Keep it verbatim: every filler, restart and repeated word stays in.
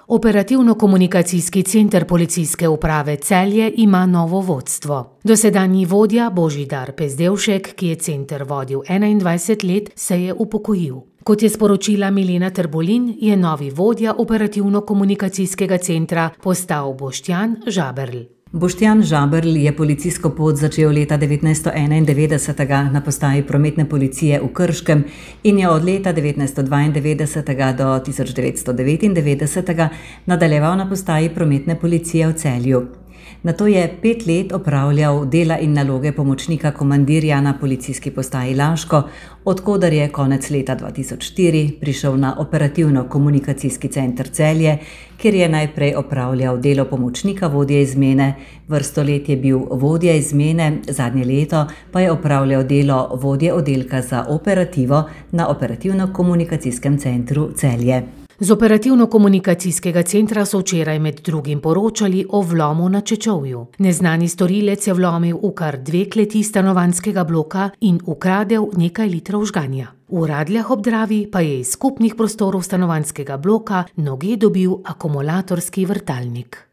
Operativno-komunikacijski center Policijske uprave Celje ima novo vodstvo. Dosedanji vodja Božidar Pezdevšek, ki je center vodil enaindvajset let, se je upokojil. Kot je sporočila Milena Trbulin, je novi vodja operativno-komunikacijskega centra postal Boštjan Žaberl. Boštjan Žaberl je policijsko pot začel leta devetnajststo enaindevetdesetega na postaji prometne policije v Krškem in je od leta devetnajststo dvaindevetdesetega do tisoč devetsto devetindevetdesetega nadaljeval na postaji prometne policije v Celju. Nato je pet let opravljal dela in naloge pomočnika komandirja na policijski postaji Laško, od koder je konec leta dva tisoč štiri prišel na operativno-komunikacijski center Celje, kjer je najprej opravljal delo pomočnika vodje izmene, vrsto let je bil vodja izmene, zadnje leto pa je opravljal delo vodje oddelka za operativo na operativno-komunikacijskem centru Celje. Z operativno-komunikacijskega centra so včeraj med drugim poročali o vlomu na Čečovju. Neznani storilec je vlomil v kar dve kleti stanovanjskega bloka in ukradel nekaj litrov žganja. V Radljah ob Dravi pa je iz skupnih prostorov stanovanjskega bloka noge dobil akumulatorski vrtalnik.